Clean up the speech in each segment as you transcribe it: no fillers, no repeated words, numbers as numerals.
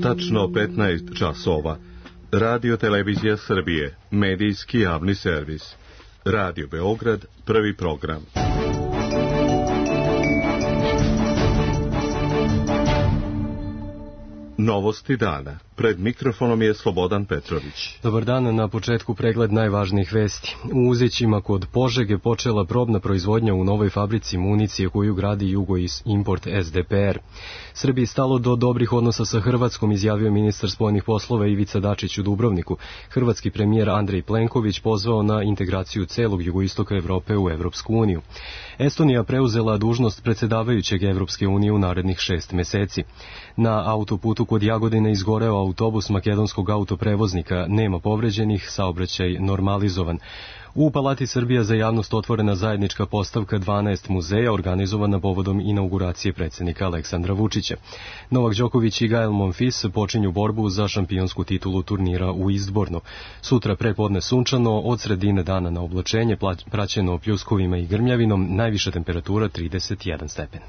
Tačno 15 časova. Radio Televizija Srbije, medijski javni servis. Radio Beograd, prvi program. Novosti dana. Pred mikrofonom je Slobodan Petrović. Dobar dan, na početku pregled najvažnijih vesti. U Uzićima kod Požege počela probna proizvodnja u novoj fabrici municije koju gradi Jugoimport SDPR. Srbiji stalo do dobrih odnosa sa Hrvatskom, izjavio ministar spoljnih poslova Ivica Dačić u Dubrovniku. Hrvatski premijer Andrej Plenković pozvao na integraciju celog jugoistoka Evrope u Evropsku uniju. Estonija preuzela dužnost predsjedavajućeg Evropske unije u narednih 6 meseci. Na autoputu kod Jagodine izgoreo autobus makedonskog autoprevoznika, nema povređenih, saobraćaj normalizovan. U Palati Srbija za javnost otvorena zajednička postavka 12 muzeja organizovana povodom inauguracije predsjednika Aleksandra Vučića. Novak Đoković i Gael Monfils počinju borbu za šampionsku titulu turnira u Istbornu. Sutra prepodne sunčano, od sredine dana na oblačenje, praćeno pljuskovima i grmljavinom, najviša temperatura 31 stepen.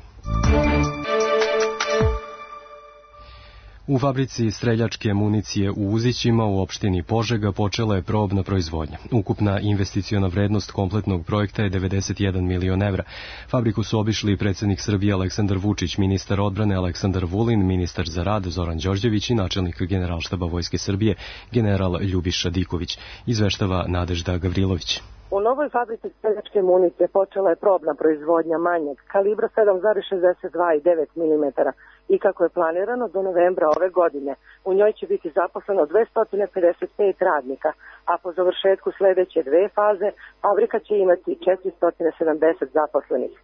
U fabrici streljačke municije u Uzićima u opštini Požega počela je probna proizvodnja. Ukupna investiciona vrednost kompletnog projekta je 91 milion evra. Fabriku su obišli predsjednik Srbije Aleksandar Vučić, ministar odbrane Aleksandar Vulin, ministar za rad Zoran Đorđević i načelnik Generalštaba Vojske Srbije general Ljubiša Diković. Izveštava Nadežda Gavrilović. U novoj fabrici streljačke municije počela je probna proizvodnja manjeg kalibra 7,62 i 9 mm i kako je planirano do novembra ove godine. U njoj će biti zaposleno 255 radnika, a po završetku sljedeće 2 faze fabrika će imati 470 zaposlenih.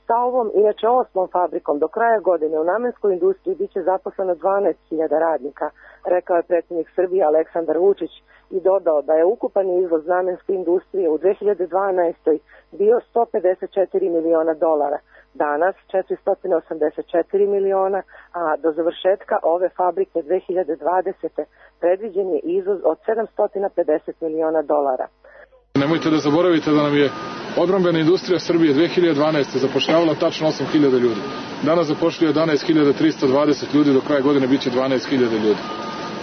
Sa ovom, inače 8. fabrikom, do kraja godine u namenskoj industriji biće zaposleno 12.000 radnika, rekao je predsjednik Srbije Aleksandar Vučić i dodao da je ukupan izvoz namenske industrije u 2012. bio 154 miliona dolara, danas 484 miliona, a do završetka ove fabrike 2020. predviđen je izvoz od 750 miliona dolara. Nemojte da zaboravite da nam je odbrambena industrija Srbije 2012. zapošljavala tačno 8.000 ljudi. Danas zapošljuje 11.320 ljudi, do kraja godine biće 12.000 ljudi.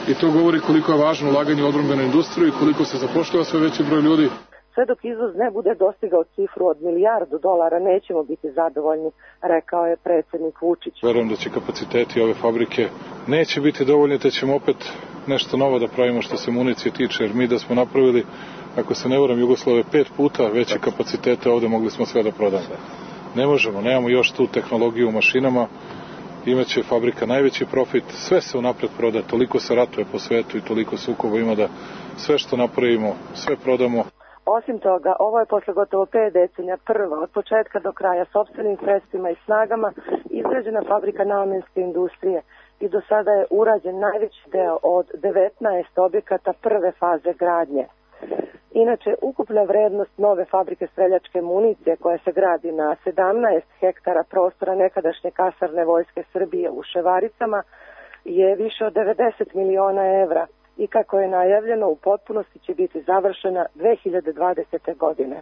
I to govori koliko je važno ulaganje u odbrambenu industriju i koliko se zapošljava sve veći broj ljudi. Sve dok izvoz ne bude dostigao cifru od $1 milijardu, nećemo biti zadovoljni, rekao je predsjednik Vučić. Verujem da će kapaciteti ove fabrike neće biti dovoljni, te ćemo opet nešto novo da pravimo što se municije tiče, jer mi da smo napravili, ako se ne varam, Jugoslave 5 puta veće kapacitete, ovde mogli smo sve da prodamo. Ne možemo, nemamo još tu tehnologiju u mašinama, imaće fabrika najveći profit, sve se unapred proda, toliko se ratuje po svetu i toliko sukoba ima da sve što napravimo, sve prodamo. Osim toga, ovo je posle gotovo 5 decenija prva od početka do kraja sopstvenim sredstvima i snagama izgrađena fabrika namenske industrije i do sada je urađen najveći deo od 19 objekata prve faze gradnje. Inače, ukupna vrednost nove fabrike streljačke municije koja se gradi na 17 hektara prostora nekadašnje kasarne Vojske Srbije u Ševaricama je više od 90 miliona evra i kako je najavljeno u potpunosti će biti završena 2020. godine.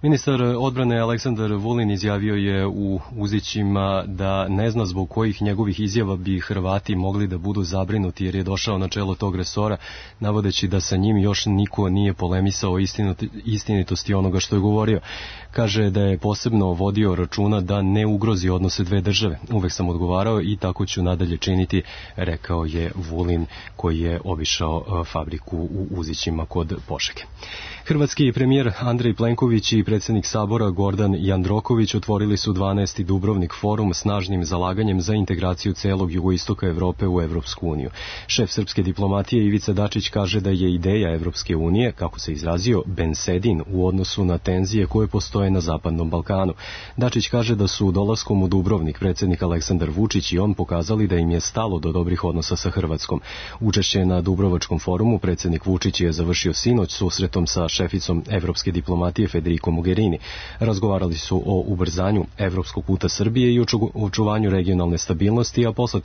Ministar odbrane Aleksandar Vulin izjavio je u Uzićima da ne zna zbog kojih njegovih izjava bi Hrvati mogli da budu zabrinuti jer je došao na čelo tog resora, navodeći da sa njim još niko nije polemisao o istinitosti onoga što je govorio. Kaže da je posebno vodio računa da ne ugrozi odnose dve države. Uvek sam odgovarao i tako ću nadalje činiti, rekao je Vulin koji je obišao fabriku u Uzićima kod Požege. Hrvatski premijer Andrej Plenković i predsjednik Sabora Gordan Jandroković otvorili su 12. Dubrovnik forum snažnim zalaganjem za integraciju celog jugoistoka Evrope u Evropsku uniju. Šef srpske diplomatije Ivica Dačić kaže da je ideja Evropske unije, kako se izrazio, bensedin u odnosu na tenzije koje postoje na Zapadnom Balkanu. Dačić kaže da su dolaskom u Dubrovnik predsjednik Aleksandar Vučić i on pokazali da im je stalo do dobrih odnosa sa Hrvatskom. Učešće na Dubrovačkom forumu predsjednik Vučić je završio sinoć susretom sa šeficom evropske diplomatije Federico Mogherini. Razgovarali su o ubrzanju evropskog puta Srbije i očuvanju regionalne stabilnosti, a posle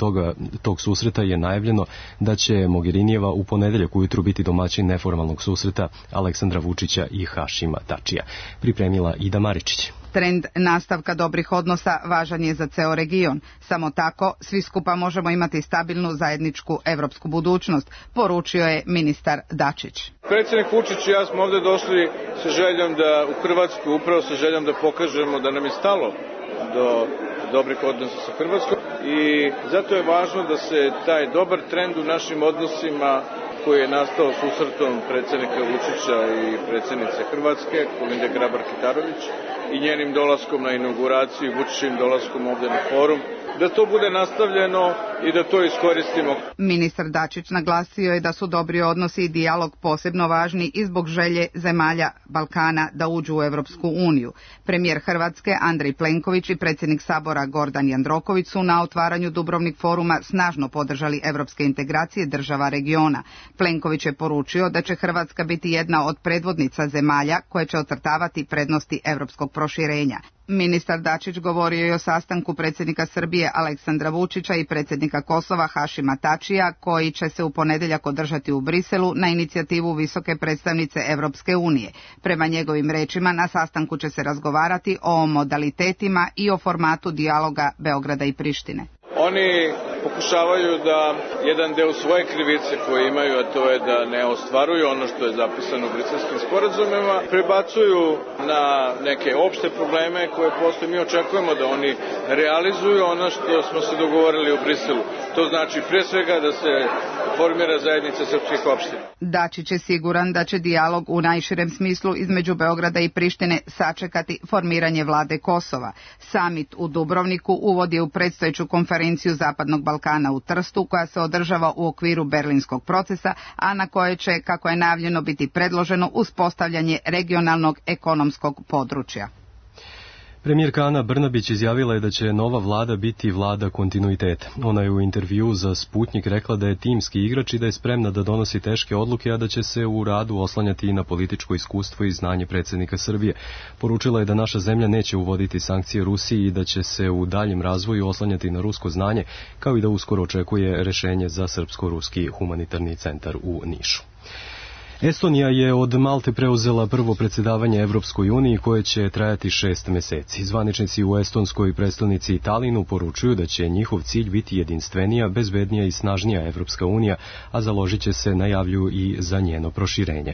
tog susreta je najavljeno da će Mogherinijeva u ponedeljak ujutru biti domaćin neformalnog susreta Aleksandra Vučića i Hašima Tačija. Pripremila Ida Maričić. Trend nastavka dobrih odnosa važan je za ceo region. Samo tako svi skupa možemo imati stabilnu zajedničku evropsku budućnost, poručio je ministar Dačić. Predsjednik Vučić i ja smo ovdje došli sa željom da u Hrvatsku, upravo sa željom da pokažemo da nam je stalo do dobrih odnosa sa Hrvatskom i zato je važno da se taj dobar trend u našim odnosima koji je nastao susretom predsjednika Vučića i predsjednice Hrvatske, Kolinde Grabar-Kitarović, i njenim dolaskom na inauguraciju, Vučićim dolaskom ovdje na forum, da to bude nastavljeno i da to iskoristimo. Ministar Dačić naglasio je da su dobri odnosi i dijalog posebno važni i zbog želje zemalja Balkana da uđu u Evropsku uniju. Premijer Hrvatske Andrej Plenković i predsjednik Sabora Gordan Jandroković su na otvaranju Dubrovnik foruma snažno podržali evropske integracije država regiona. Plenković je poručio da će Hrvatska biti jedna od predvodnica zemalja koje će ocrtavati prednosti evropskog proširenja. Ministar Dačić govorio je o sastanku predsjednika Srbije Aleksandra Vučića i predsjednika Kosova Hašima Tačija, koji će se u ponedjeljak održati u Briselu na inicijativu visoke predstavnice Evropske unije. Prema njegovim rečima, na sastanku će se razgovarati o modalitetima i o formatu dijaloga Beograda i Prištine. Oni pokušavaju da jedan deo svoje krivice koje imaju, a to je da ne ostvaruju ono što je zapisano u briselskim sporazumima, prebacuju na neke opšte probleme koje postoje. Mi očekujemo da oni realizuju ono što smo se dogovorili u Briselu. To znači pre svega da se formira zajednica srpskih opština. Dačić je siguran da će dijalog u najširem smislu između Beograda i Prištine sačekati formiranje vlade Kosova. Samit u Dubrovniku uvodi u predstojeću konferenciju Zapadnog Balkana u Trstu, koja se održava u okviru Berlinskog procesa, a na koje će, kako je najavljeno, biti predloženo uspostavljanje regionalnog ekonomskog područja. Premijerka Ana Brnabić izjavila je da će nova vlada biti vlada kontinuiteta. Ona je u intervjuu za Sputnjik rekla da je timski igrač i da je spremna da donosi teške odluke, a da će se u radu oslanjati i na političko iskustvo i znanje predsjednika Srbije. Poručila je da naša zemlja neće uvoditi sankcije Rusiji i da će se u daljem razvoju oslanjati na rusko znanje, kao i da uskoro očekuje rešenje za Srpsko-ruski humanitarni centar u Nišu. Estonija je od Malte preuzela prvo predsjedavanje Evropskoj uniji koje će trajati 6 meseci. Zvaničnici u estonskoj prestonici Talinu poručuju da će njihov cilj biti jedinstvenija, bezbednija i snažnija Evropska unija, a založit će se, najavljuju, i za njeno proširenje.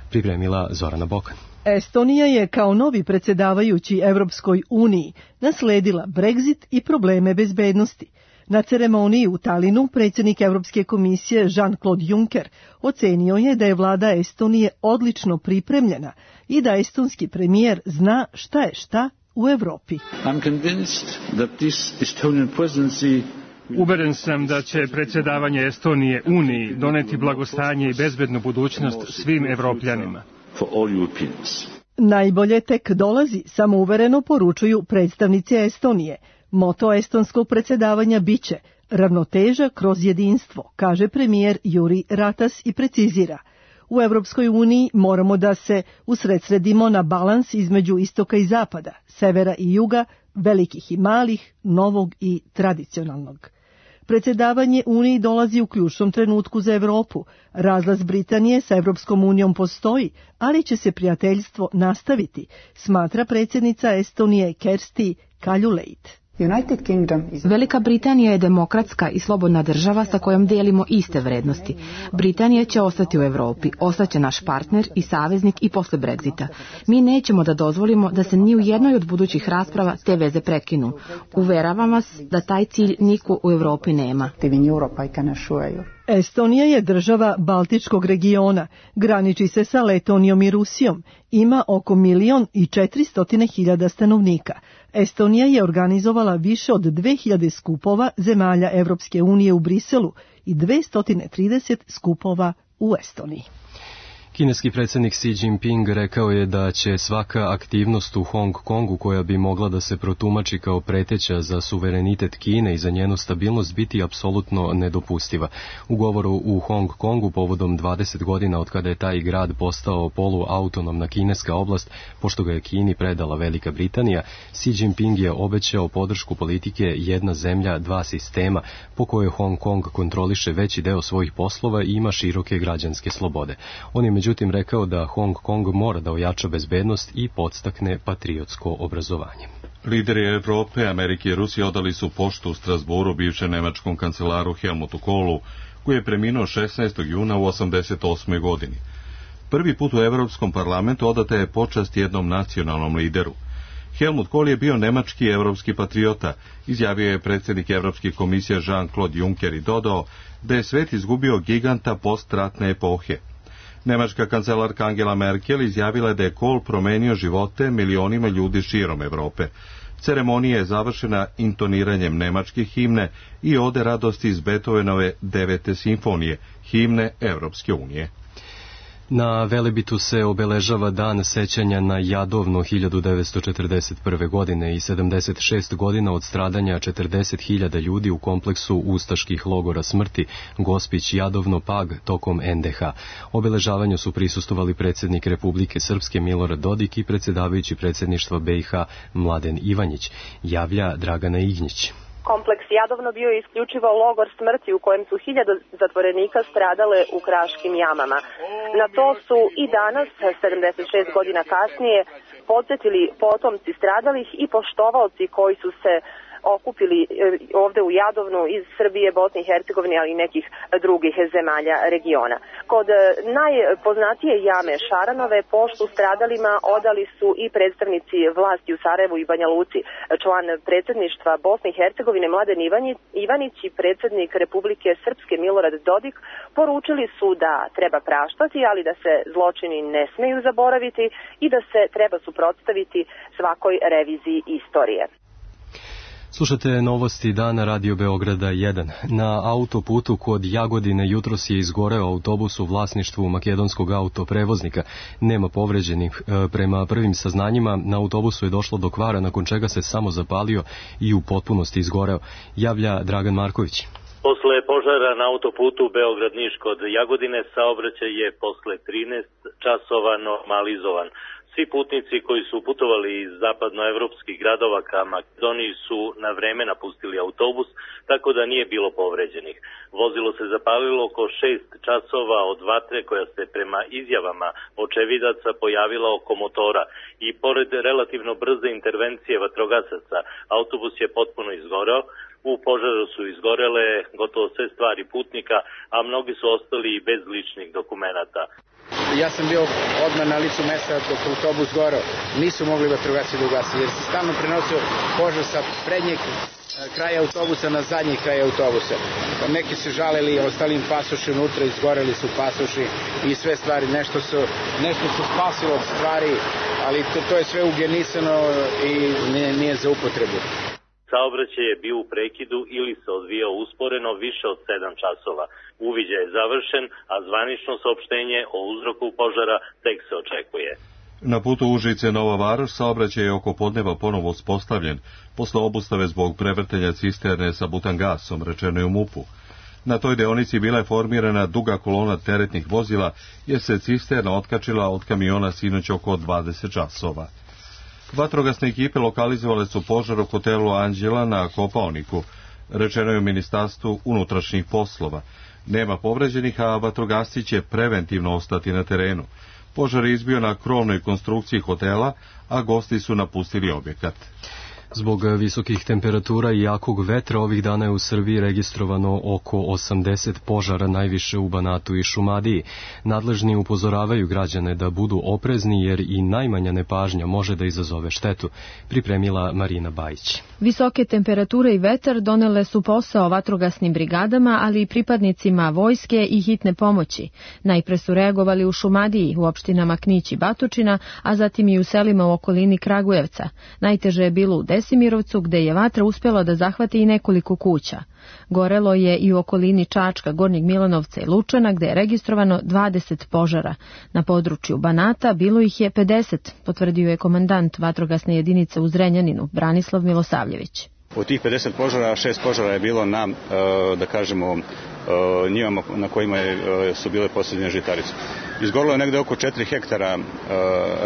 Pripremila Zorana Bokan. Estonija je kao novi predsjedavajući Evropskoj uniji nasledila Brexit i probleme bezbednosti. Na ceremoniji u Talinu predsjednik Evropske komisije Jean-Claude Juncker ocenio je da je vlada Estonije odlično pripremljena i da estonski premijer zna šta je šta u Evropi. Uveren sam da će predsjedavanje Estonije Uniji doneti blagostanje i bezbednu budućnost svim Evropljanima. Najbolje tek dolazi, samouvereno poručuju predstavnici Estonije. Moto estonskog predsjedavanja biće ravnoteža kroz jedinstvo, kaže premijer Juri Ratas i precizira. U Evropskoj uniji moramo da se usredsredimo na balans između istoka i zapada, severa i juga, velikih i malih, novog i tradicionalnog. Predsjedavanje Uniji dolazi u ključnom trenutku za Evropu. Razlaz Britanije sa Evropskom unijom postoji, ali će se prijateljstvo nastaviti, smatra predsjednica Estonije Kersti Kaljuleit. Velika Britanija je demokratska i slobodna država sa kojom dijelimo iste vrednosti. Britanija će ostati u Europi, ostaće naš partner i saveznik i posle Brexita. Mi nećemo da dozvolimo da se ni u jednoj od budućih rasprava te veze prekinu. Uveravam vas da taj cilj niko u Europi nema. Estonija je država Baltičkog regiona, graniči se sa Letonijom i Rusijom, ima oko 1.400.000 stanovnika. Estonija je organizovala više od 2000 skupova zemalja Evropske unije u Briselu i 230 skupova u Estoniji. Kineski predsjednik Xi Jinping rekao je da će svaka aktivnost u Hong Kongu koja bi mogla da se protumači kao preteća za suverenitet Kine i za njenu stabilnost biti apsolutno nedopustiva. U govoru u Hong Kongu povodom 20 godina od kada je taj grad postao poluautonomna kineska oblast, pošto ga je Kini predala Velika Britanija, Xi Jinping je obećao podršku politike jedna zemlja, dva sistema, po kojoj Hong Kong kontroliše veći deo svojih poslova i ima široke građanske slobode. On je međutim rekao da Hong Kong mora da ojača bezbednost i podstakne patriotsko obrazovanje. Lideri Evrope, Amerike i Rusije odali su poštu u Strasburu bivšem nemačkom kancelaru Helmutu Kohlu, koji je preminuo 16. juna u 88. godini. Prvi put u Evropskom parlamentu odata je počast jednom nacionalnom lideru. Helmut Kohl je bio nemački evropski patriota, izjavio je predsjednik Evropske komisije Jean-Claude Juncker i dodao da je svet izgubio giganta postratne epohe. Nemačka kancelarka Angela Merkel izjavila je da je Kohl promenio živote milionima ljudi širom Evrope. Ceremonija je završena intoniranjem nemačke himne i ode radosti iz Beethovenove 9. simfonije, himne Evropske unije. Na Velebitu se obeležava dan sećanja na Jadovno 1941. godine i 76 godina od stradanja 40.000 ljudi u kompleksu ustaških logora smrti Gospić, Jadovno, Pag tokom NDH. Obeležavanju su prisustvovali predsjednik Republike Srpske Milorad Dodik i predsjedavajući predsjedništva BiH Mladen Ivanjić, javlja Dragana Ignjić. Kompleks Jadovno bio je isključivo logor smrti u kojem su 1000 zatvorenika stradale u kraškim jamama. Na to su i danas, 76 godina kasnije, podsjetili potomci stradalih i poštovaoci koji su se okupili ovde u Jadovnu iz Srbije, Bosne i Hercegovine, ali i nekih drugih zemalja regiona. Kod najpoznatije jame Šaranove poštu stradalima odali su i predstavnici vlasti u Sarajevu i Banja Luci. Član predsjedništva Bosne i Hercegovine Mladen Ivanić i predsjednik Republike Srpske Milorad Dodik poručili su da treba praštati, ali da se zločini ne smeju zaboraviti i da se treba suprotstaviti svakoj reviziji istorije. Slušate novosti dana Radio Beograda 1. Na autoputu kod Jagodine jutros je izgoreo autobus u vlasništvu makedonskog autoprevoznika. Nema povređenih. Prema prvim saznanjima, na autobusu je došlo do kvara, nakon čega se samo zapalio i u potpunosti izgoreo, javlja Dragan Marković. Posle požara na autoputu Beograd-Niš kod Jagodine saobraćaj je posle 13 časova normalizovan. Svi putnici koji su putovali iz zapadnoevropskih gradova ka Makedoniji su na vreme napustili autobus, tako da nije bilo povređenih. Vozilo se zapalilo oko 6 časova od vatre koja se prema izjavama očevidaca pojavila oko motora i pored relativno brze intervencije vatrogasaca, autobus je potpuno izgoreo. U požaru su izgorele gotovo sve stvari putnika, a mnogi su ostali i bez ličnih dokumenata. Ja sam bio odmah na licu mesta dok autobus goreo. Nisu mogli vatrogasci da ugasi jer se stalno prenosio požar sa prednjeg kraja autobusa na zadnji kraj autobusa. Neki se žalili, ostali im pasoši unutra, izgoreli su pasoši i sve stvari. Nešto su spasilo stvari, ali to je sve ugenisano i nije za upotrebu. Saobraćaj je bio u prekidu ili se odvijao usporeno više od 7 časova. Uviđaj je završen, a zvanično saopštenje o uzroku požara tek se očekuje. Na putu Užice-Nova Varoš saobraćaj je oko podneva ponovo uspostavljen, posle obustave zbog prevrtenja cisterne sa butangasom, rečeno je u MUP-u. Na toj deonici bila je formirana duga kolona teretnih vozila, jer se cisterna otkačila od kamiona sinoć oko 20 časova. Vatrogasne ekipe lokalizovale su požar u hotelu Anđela na Kopaoniku, rečeno je u Ministarstvu unutrašnjih poslova. Nema povređenih, a vatrogasci će preventivno ostati na terenu. Požar je izbio na krovnoj konstrukciji hotela, a gosti su napustili objekat. Zbog visokih temperatura i jakog vetra ovih dana je u Srbiji registrovano oko 80 požara, najviše u Banatu i Šumadiji. Nadležni upozoravaju građane da budu oprezni jer i najmanja nepažnja može da izazove štetu, pripremila Marina Bajić. Visoke temperature i vetar donele su posao vatrogasnim brigadama, ali i pripadnicima vojske i hitne pomoći. Najpre su reagovali u Šumadiji, u opštinama Knić i Batočina, a zatim i u selima u okolini Kragujevca. Najteže je bilo u Desimirovcu, gde je vatra uspjela da zahvati i nekoliko kuća. Gorelo je i u okolini Čačka, Gornjeg Milanovca i Lučana, gde je registrovano 20 požara. Na području Banata bilo ih je 50, potvrdio je komandant vatrogasne jedinice u Zrenjaninu, Branislav Milosavljević. Od tih 50 požara, 6 požara je bilo na, da kažemo, njivama na kojima su bile posljednje žitarice. Izgorilo je negde oko 4 hektara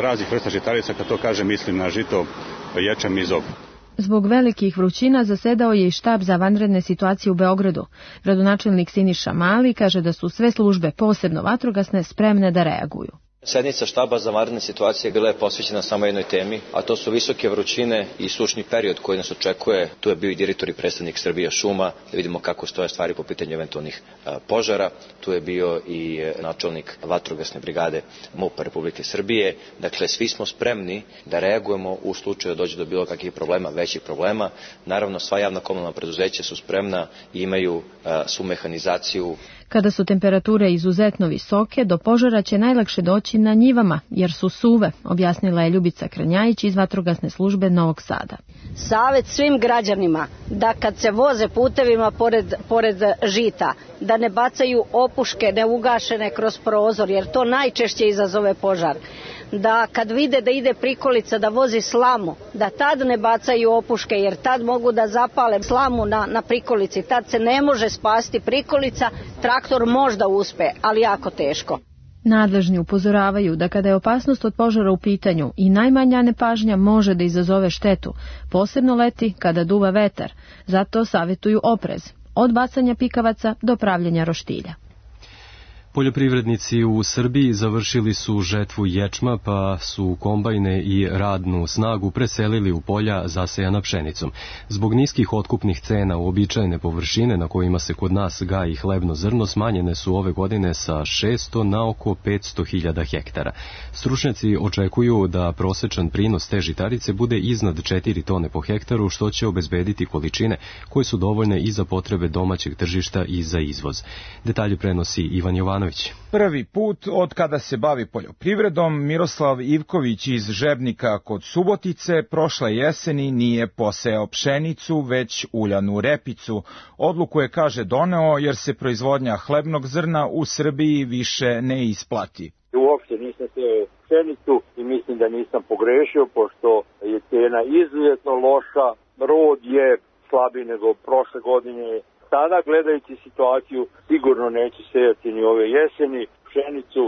raznih vrsta žitarica, kad to kažem mislim na žito, ječam i zob. Zbog velikih vrućina zasedao je i štab za vanredne situacije u Beogradu. Gradonačelnik Siniša Mali kaže da su sve službe, posebno vatrogasne, spremne da reaguju. Sednica štaba za vanredne situacije bila je posvećena samo jednoj temi, a to su visoke vrućine i sušni period koji nas očekuje. Tu je bio i direktor i predstavnik Srbija šuma, da vidimo kako stoje stvari po pitanju eventualnih požara. Tu je bio i načelnik vatrogasne brigade MUP-a Republike Srbije. Dakle, svi smo spremni da reagujemo u slučaju da dođe do bilo kakvih problema, većih problema. Naravno, sva javna komunalna preduzeća su spremna i imaju svu mehanizaciju. Kada su temperature izuzetno visoke, do požara će najlakše doći na njivama, jer su suve, objasnila je Ljubica Kranjajić iz vatrogasne službe Novog Sada. Savet svim građanima da kad se voze putevima pored žita, da ne bacaju opuške neugašene kroz prozor, jer to najčešće izazove požar. Da kad vide da ide prikolica da vozi slamu, da tad ne bacaju opuške, jer tad mogu da zapale slamu na prikolici. Tad se ne može spasti prikolica, traktor možda uspe, ali jako teško. Nadležni upozoravaju da kada je opasnost od požara u pitanju i najmanja nepažnja može da izazove štetu, posebno leti kada duva vetar. Zato savjetuju oprez, od bacanja pikavaca do pravljenja roštilja. Poljoprivrednici u Srbiji završili su žetvu ječma, pa su kombajne i radnu snagu preselili u polja zasejana pšenicom. Zbog niskih otkupnih cena uobičajene površine na kojima se kod nas gaji hlebno zrno smanjene su ove godine sa 600 na oko 500.000 hektara. Stručnjaci očekuju da prosečan prinos te žitarice bude iznad 4 tone po hektaru, što će obezbediti količine koje su dovoljne i za potrebe domaćeg tržišta i za izvoz. Detalje prenosi Ivan Jovanović. Prvi put od kada se bavi poljoprivredom, Miroslav Ivković iz Žebnika kod Subotice prošle jeseni nije posejao pšenicu, već uljanu repicu. Odluku je, kaže, doneo jer se proizvodnja hlebnog zrna u Srbiji više ne isplati. Uopšte nisam sejao pšenicu i mislim da nisam pogrešio, pošto je cena izuzetno loša, rod je slabiji nego prošle godine. Sada, gledajući situaciju, sigurno neću sejati ni ove jeseni pšenicu.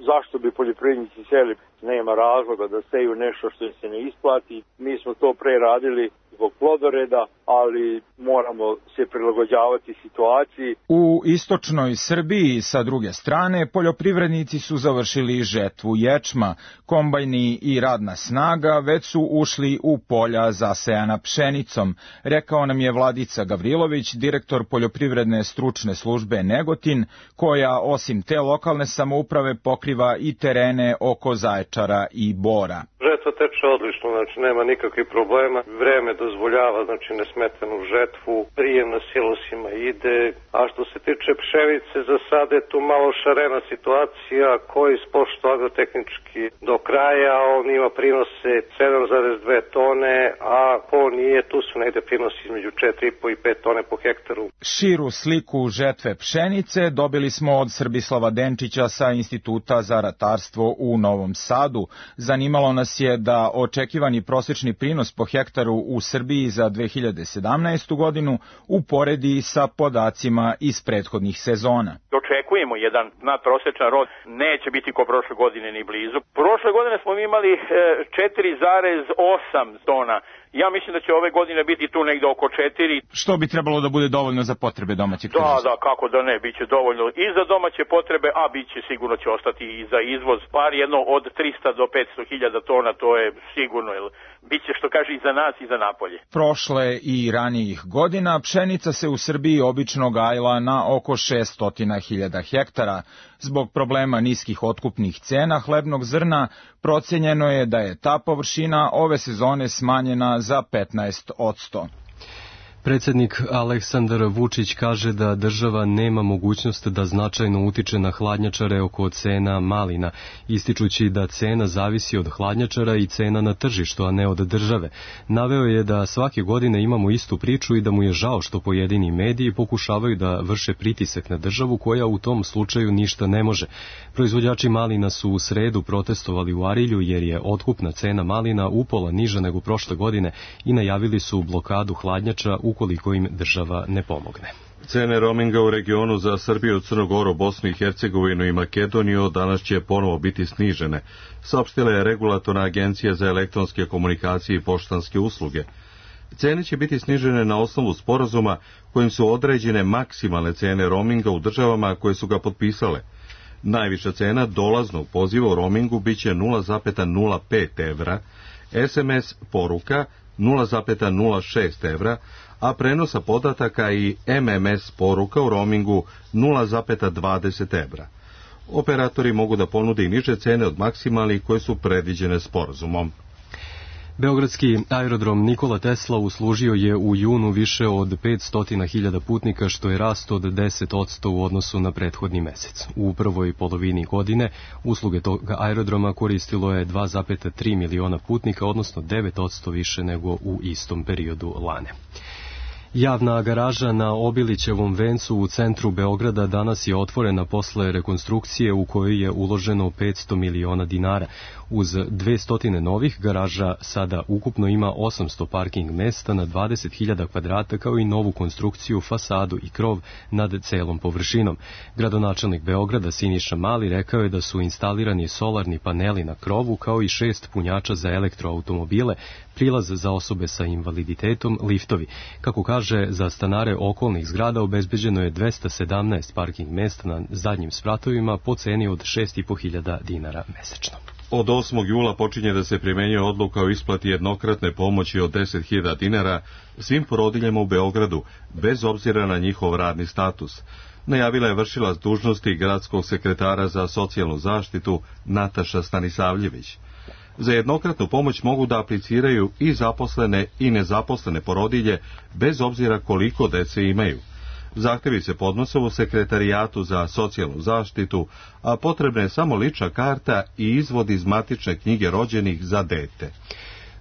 Zašto bi poljoprivrednici sejali? Nema razloga da seju nešto što se ne isplati. Mi smo to pre radili zbog plodoreda, ali moramo se prilagođavati situaciji. U istočnoj Srbiji, sa druge strane, poljoprivrednici su završili žetvu ječma. Kombajni i radna snaga već su ušli u polja zasejana pšenicom, rekao nam je Vladica Gavrilović, direktor poljoprivredne stručne službe Negotin, koja osim te lokalne samouprave pokriva i terene oko Zaječara i Bora. Žetva teče odlično, znači nema nikakvih problema, vreme dozvoljava, znači nesmetanu žetvu, prijem na silosima ide, a što se tiče pšenice, za sada je tu malo šarena situacija, koji ispošto agrotehnički do kraja, on ima prinose 7,2 tone, a ko nije, tu su negde prinosi između 4,5 i 5 tone po hektaru. Širu sliku žetve pšenice dobili smo od Srbislava Denčića sa Instituta za ratarstvo u Novom Sadu. Zanimalo nas je da očekivani prosečni prinos po hektaru u Srbiji za 2017. godinu uporedi sa podacima iz prethodnih sezona. Očekujemo jedan nadprosečan rod, neće biti ko prošle godine ni blizu. Prošle godine smo imali 4,8 tona. Ja mislim da će ove godine biti tu negde oko 4. Što bi trebalo da bude dovoljno za potrebe domaćeg tržišta? Da, kako da ne, bit će dovoljno i za domaće potrebe, a bit će sigurno će ostati i za izvoz. Par jedno od 300 do 500 hiljada tona, to je sigurno, jer bit će, što kaže, i za nas i za napolje. Prošle i ranijih godina pšenica se u Srbiji obično gajila na oko 600.000 hektara. Zbog problema niskih otkupnih cena hlebnog zrna, procenjeno je da je ta površina ove sezone smanjena za 15%. Predsjednik Aleksandar Vučić kaže da država nema mogućnost da značajno utiče na hladnjačare oko cena malina, ističući da cena zavisi od hladnjačara i cena na tržištu, a ne od države. Naveo je da svake godine imamo istu priču i da mu je žao što pojedini mediji pokušavaju da vrše pritisak na državu koja u tom slučaju ništa ne može. Proizvođači malina su u sredu protestovali u Arilju jer je otkupna cena malina upola niža nego prošle godine i najavili su blokadu hladnjača ukoliko im država ne pomogne. Cene roaminga u regionu za Srbiju, Crnu Goru, Bosnu i Hercegovinu i Makedoniju danas će ponovo biti snižene, saopštila je Regulatorna agencija za elektronske komunikacije i poštanske usluge. Cene će biti snižene na osnovu sporazuma kojim su određene maksimalne cene roaminga u državama koje su ga potpisale. Najviša cena dolaznog poziva u roamingu biće 0,05 evra, SMS poruka 0,06 evra, a prenosa podataka i MMS poruka u roamingu 0,20 evra. Operatori mogu da ponude i niže cene od maksimalnih koje su predviđene sporazumom. Beogradski aerodrom Nikola Tesla uslužio je u junu više od 500.000 putnika, što je rast od 10% u odnosu na prethodni mesec. U prvoj polovini godine usluge tog aerodroma koristilo je 2,3 miliona putnika, odnosno 9% više nego u istom periodu lane. Javna garaža na Obilićevom vencu u centru Beograda danas je otvorena posle rekonstrukcije u kojoj je uloženo 500 miliona dinara. Uz 200 novih garaža sada ukupno ima 800 parking mesta na 20.000 kvadrata, kao i novu konstrukciju, fasadu i krov nad celom površinom. Gradonačelnik Beograda Siniša Mali rekao je da su instalirani solarni paneli na krovu, kao i 6 punjača za elektroautomobile, prilaz za osobe sa invaliditetom, liftovi. Kako kaže, za stanare okolnih zgrada obezbeđeno je 217 parking mesta na zadnjim spratovima po ceni od 6.500 dinara mesečno. Od 8. jula počinje da se primenjuje odluka o isplati jednokratne pomoći od 10.000 dinara svim porodiljama u Beogradu, bez obzira na njihov radni status. Najavila je vršilac dužnosti gradskog sekretara za socijalnu zaštitu Nataša Stanisavljević. Za jednokratnu pomoć mogu da apliciraju i zaposlene i nezaposlene porodilje, bez obzira koliko dece imaju. Zahtevi se podnose u Sekretarijatu za socijalnu zaštitu, a potrebna je samo lična karta i izvod iz matične knjige rođenih za dete.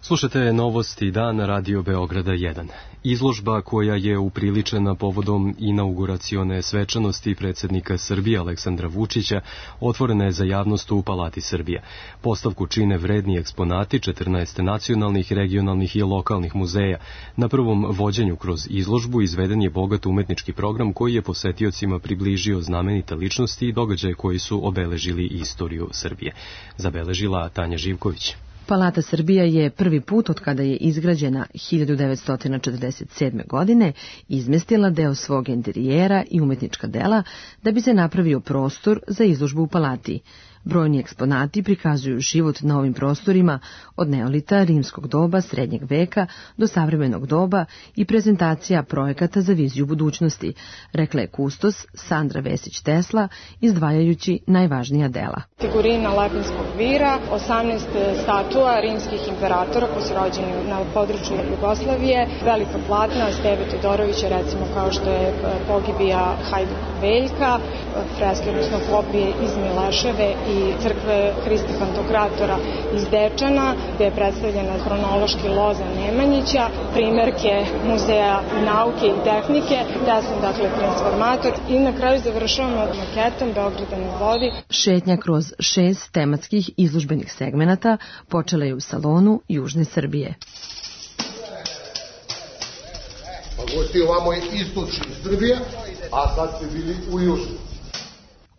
Slušate Novosti dan Radio Beograda 1. Izložba koja je upriličena povodom inauguracione svečanosti predsjednika Srbije Aleksandra Vučića otvorena je za javnost u Palati Srbija. Postavku čine vredni eksponati 14 nacionalnih, regionalnih i lokalnih muzeja. Na prvom vođenju kroz izložbu izveden je bogat umetnički program koji je posetiocima približio znamenite ličnosti i događaje koji su obeležili istoriju Srbije. Zabeležila Tanja Živković. Palata Srbija je prvi put od kada je izgrađena 1947. godine izmestila deo svog interijera i umetnička dela da bi se napravio prostor za izložbu u palati. Brojni eksponati prikazuju život na ovim prostorima od neolita, rimskog doba, srednjeg veka do savremenog doba i prezentacija projekata za viziju budućnosti, rekla je kustos Sandra Vesić-Tesla, izdvajajući najvažnija dela. Figurina Lepenskog vira, 18 statua rimskih imperatora koji su rođeni na području Jugoslavije, velika platna Steve Todorovića, recimo kao što je pogibija Hajduk Veljka, freske, odnosno kopije iz Mileševe i crkve Hrista Pantokratora iz Dečana, gde je predstavljena hronološki loza Nemanjića, primerke Muzeja nauke i tehnike, Teslin, dakle, transformator, i na kraju završavamo maketom Beograda na vodi. Šetnja kroz 6 tematskih izložbenih segmenata počela je u salonu Južne Srbije. Pa gosti, ovamo je istočni Srbija, a sad ste bili u Južnoj.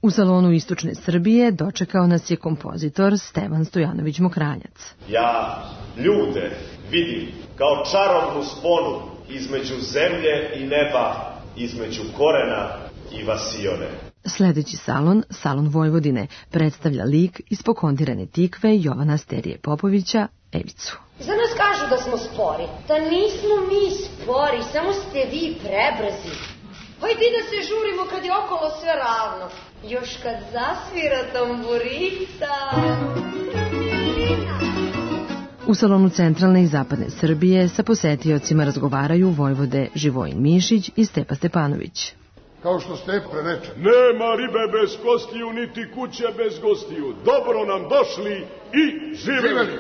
U salonu Istočne Srbije dočekao nas je kompozitor Stevan Stojanović Mokranjac. Ja ljude vidim kao čarobnu sponu između zemlje i neba, između korena i vasione. Sledeći salon, Salon Vojvodine, predstavlja lik iz Pokondirane tikve Jovana Sterije Popovića, Evicu. Za nas kažu da smo spori. Da nismo mi spori, samo ste vi prebrzi. Hajde da se žurimo kad je okolo sve ravno. Još kad zasvira tamburica. U salonu centralne i zapadne Srbije sa posetiocima razgovaraju vojvode Živojin Mišić i Stepa Stepanović. Kao što Stepa reče, nema ribe bez kostiju, niti kuće bez gostiju. Dobro nam došli i živeli.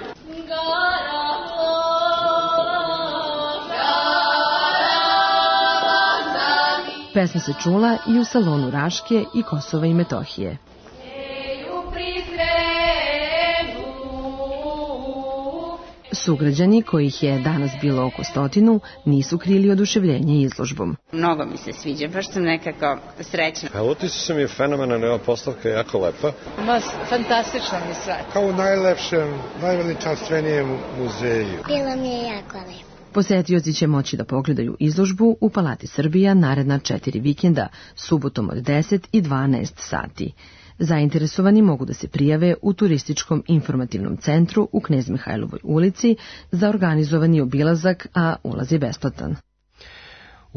Pesma se čula i u salonu Raške i Kosova i Metohije. Sugrađani, kojih je danas bilo oko 100, nisu krili oduševljenje izložbom. Mnogo mi se sviđa, baš sam nekako srećna. A utisak mi je fenomenan, ova postavka je jako lepa. Fantastično mi sve. Kao u najlepšem, najveličanstvenijem muzeju. Bilo mi je jako lepo. Posetioci će moći da pogledaju izložbu u Palati Srbija naredna 4 vikenda, subotom od 10 i 12 sati. Zainteresovani mogu da se prijave u Turističkom informativnom centru u Knez Mihajlovoj ulici za organizovani obilazak, a ulaz je besplatan.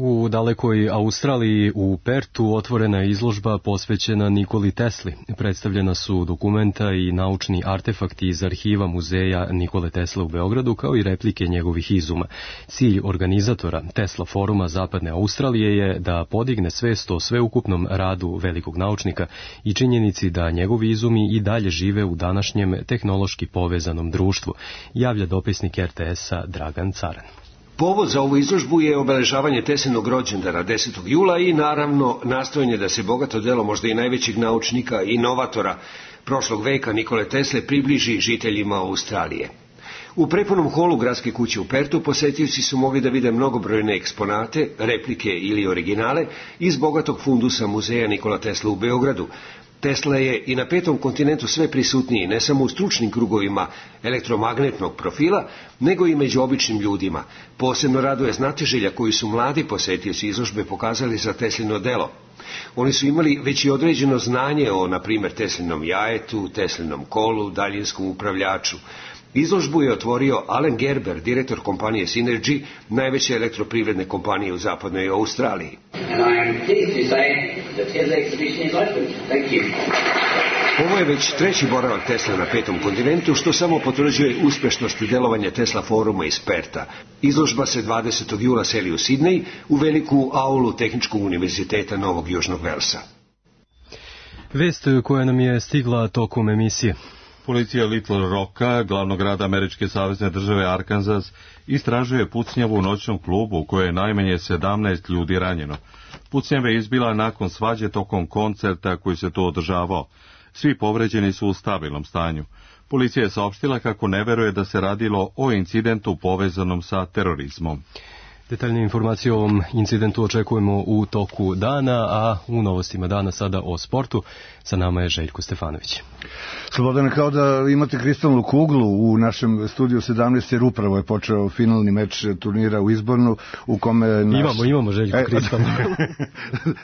U dalekoj Australiji u Pertu otvorena je izložba posvećena Nikoli Tesli. Predstavljena su dokumenta i naučni artefakti iz arhiva muzeja Nikole Tesle u Beogradu, kao i replike njegovih izuma. Cilj organizatora Tesla foruma Zapadne Australije je da podigne svest o sveukupnom radu velikog naučnika i činjenici da njegovi izumi i dalje žive u današnjem tehnološki povezanom društvu, javlja dopisnik RTS-a Dragan Caran. Povod za ovu izložbu je obeležavanje Teslinog rođendana 10. jula i naravno nastojanje da se bogato delo možda i najvećeg naučnika i inovatora prošlog veka Nikole Tesle približi žiteljima Australije. U prepunom holu gradske kuće u Pertu posetioci su mogli da vide mnogobrojne eksponate, replike ili originale iz bogatog fundusa muzeja Nikola Tesla u Beogradu. Tesla je i na 5. kontinentu sve prisutniji, ne samo u stručnim krugovima elektromagnetnog profila, nego i među običnim ljudima. Posebno raduje znatiželja koju su mladi posetioci izložbe pokazali za Teslino delo. Oni su imali već i određeno znanje o, na primjer, Teslinom jajetu, Teslinom kolu, daljinskom upravljaču. Izložbu je otvorio Alan Gerber, direktor kompanije Synergy, najveće elektroprivredne kompanije u zapadnoj Australiji. Ovo je već 3. boravak Tesla na 5. kontinentu, što samo potvrđuje uspešnost delovanja Tesla foruma iz Perta. Izložba se 20. jula seli u Sidnej, u veliku aulu Tehničkog univerziteta Novog Južnog Velsa. Vest koja nam je stigla tokom emisije. Policija Little Rocka, glavnog grada američke savezne države Arkansas, istražuje pucnjavu u noćnom klubu u kojoj je najmanje 17 ljudi ranjeno. Pucnjava je izbila nakon svađe tokom koncerta koji se tu održavao. Svi povređeni su u stabilnom stanju. Policija je saopštila kako ne veruje da se radilo o incidentu povezanom sa terorizmom. Detaljne informacije o ovom incidentu očekujemo u toku dana, a u novostima dana sada o sportu. Sa nama je Željko Stefanović. Slobodane, kao da imate kristalnu kuglu u našem studiju 17, jer upravo je počeo finalni meč turnira u Izbornu, u kome... Imamo Željko kristalnu.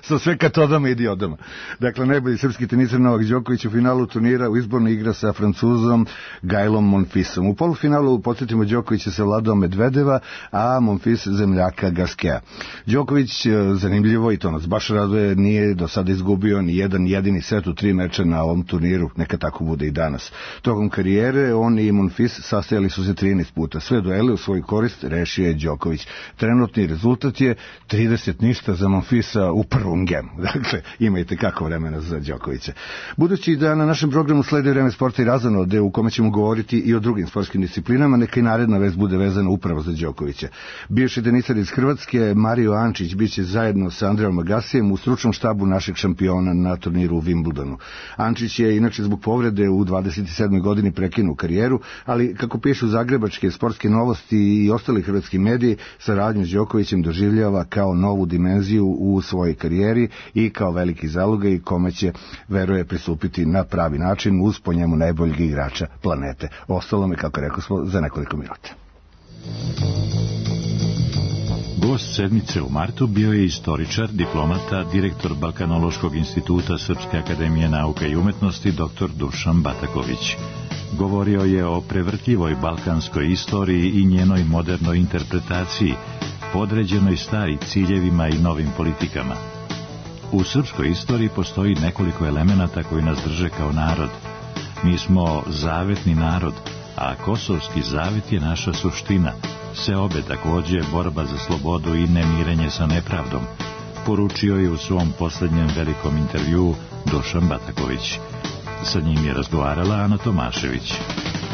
Sa sve katodama i diodama. Dakle, najbolji srpski teniser Novak Đoković u finalu turnira u Izbornu igra sa Francuzom Gailom Monfisom. U polufinalu, podsjetimo, Đoković je savladao Medvedeva, a Monfis zemljaka Gaskea. Đoković, zanimljivo, i to nas baš raduje, nije do sada izgubio ni jedan jedini set u 3 meča na ovom turniru, neka tako bude i danas. Tokom karijere on i Monfis sastajali su se 13 puta. Sve duele u svoj korist rešio je Đoković. Trenutni rezultat je 30-0 za Monfisa u prvom gemu. Dakle, imajte kako vremena za Đokovića. Budući da na našem programu sledi Vreme sporta i razonode, u kome ćemo govoriti i o drugim sportskim disciplinama, neka i naredna vest bude vezana upravo za Đokovića. Bivši teniser iz Hrvatske Mario Ančić biće zajedno sa Andreom Agasijem u stručnom štabu našeg šampiona na turniru u Wimbledonu. Ančić je inače zbog povrede u 27. godini prekinuo karijeru, ali kako pišu zagrebačke sportske novosti i ostali hrvatski mediji, saradnju s Đokovićem doživljava kao novu dimenziju u svojoj karijeri i kao veliki zalogaj kome će, veruje, pristupiti na pravi način uz po njemu najboljeg igrača planete. Ostalo me, kako rekao smo, za nekoliko minuta. Gost sedmice u martu bio je istoričar, diplomata, direktor Balkanološkog instituta Srpske akademije nauka i umetnosti dr. Dušan Bataković. Govorio je o prevrtljivoj balkanskoj istoriji i njenoj modernoj interpretaciji, podređenoj stari ciljevima i novim politikama. U srpskoj istoriji postoji nekoliko elemenata koji nas drže kao narod. Mi smo zavetni narod, a kosovski zavet je naša suština. Seobe takođe borba za slobodu i nemirenje sa nepravdom, poručio je u svom poslednjem velikom intervjuu Dušan Bataković. Sa njim je razgovarala Ana Tomašević.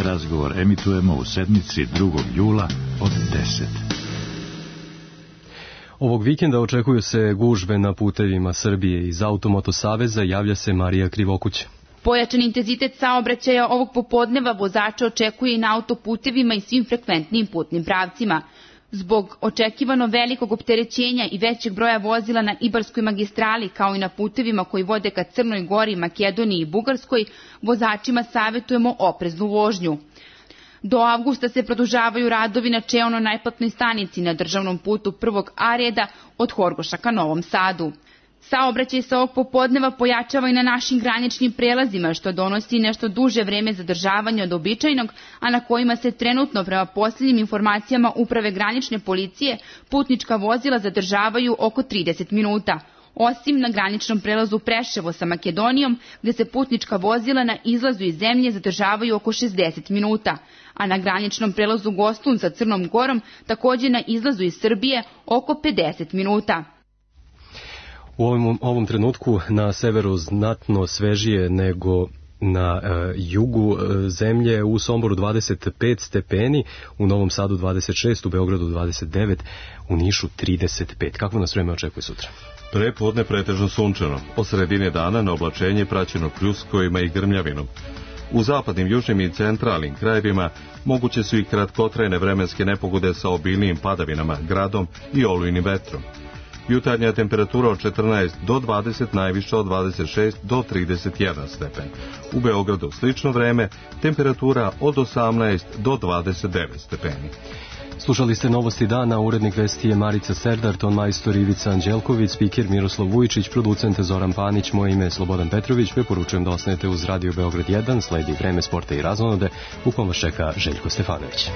Razgovor emitujemo u sedmici 2. jula od 10. Ovog vikenda očekuju se gužve na putevima Srbije. Iz Automoto saveza javlja se Marija Krivokuć. Pojačan intenzitet saobraćaja ovog popodneva vozača očekuje i na autoputevima i svim frekventnim putnim pravcima. Zbog očekivano velikog opterećenja i većeg broja vozila na Ibarskoj magistrali, kao i na putevima koji vode ka Crnoj Gori, Makedoniji i Bugarskoj, vozačima savjetujemo opreznu vožnju. Do avgusta se produžavaju radovi na čeono-najplatnoj stanici na državnom putu prvog A reda od Horgoša ka Novom Sadu. Saobraćaj se ovog popodneva pojačava i na našim graničnim prelazima, što donosi nešto duže vreme zadržavanja od običajnog, a na kojima se trenutno, prema posljednjim informacijama Uprave granične policije, putnička vozila zadržavaju oko 30 minuta. Osim na graničnom prelazu Preševo sa Makedonijom, gde se putnička vozila na izlazu iz zemlje zadržavaju oko 60 minuta, a na graničnom prelazu Gostun sa Crnom Gorom takođe na izlazu iz Srbije oko 50 minuta. U ovom trenutku na severu znatno svežije nego na jugu zemlje, u Somboru 25 stepeni, u Novom Sadu 26, u Beogradu 29, u Nišu 35. Kako nas vreme očekuje sutra? Prepodne pretežno sunčano, po sredine dana na oblačenje praćeno pljuskovima i grmljavinom. U zapadnim, južnim i centralnim krajevima moguće su i kratkotrajne vremenske nepogode sa obilnijim padavinama, gradom i olujnim vetrom. Jutarnja temperatura od 14 do 20, najviša od 26 do 31 stepen. U Beogradu slično vreme, temperatura od 18 do 29 stepeni. Slušali ste Novosti dana, urednik vesti je Marica Serdar, ton majstor Ivica Anđelković, spiker Miroslav Vujičić, producent Zoran Panić, moje ime je Slobodan Petrović, preporučujem da ostanete uz Radio Beograd 1, sledi vreme sporta i razonode, u kom vas čeka Željko Stefanović.